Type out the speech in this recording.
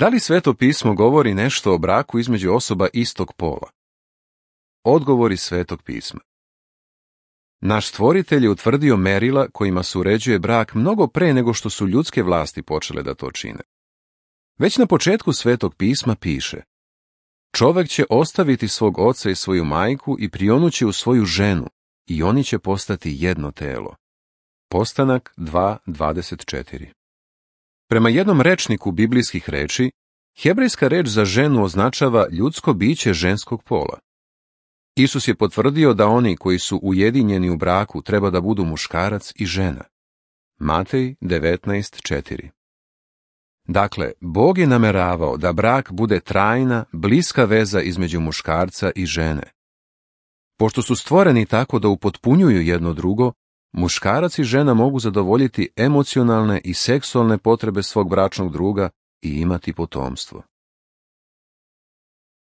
Da li Sveto pismo govori nešto o braku između osoba istog pola? Odgovori Svetog pisma. Naš Stvoritelj je utvrdio merila kojima se uređuje brak mnogo pre nego što su ljudske vlasti počele da to čine. Već na početku Svetog pisma piše: čovek će ostaviti svog oca i svoju majku i prionući u svoju ženu, i oni će postati jedno telo. Postanak 2:24. Prema jednom rečniku biblijskih reči, hebrejska reč za ženu označava ljudsko biće ženskog pola. Isus je potvrdio da oni koji su ujedinjeni u braku treba da budu muškarac i žena. Matej 19:4. Dakle, Bog je nameravao da brak bude trajna, bliska veza između muškarca i žene. Pošto su stvoreni tako da upotpunjuju jedno drugo, muškarac i žena mogu zadovoljiti emocionalne i seksualne potrebe svog bračnog druga i imati potomstvo.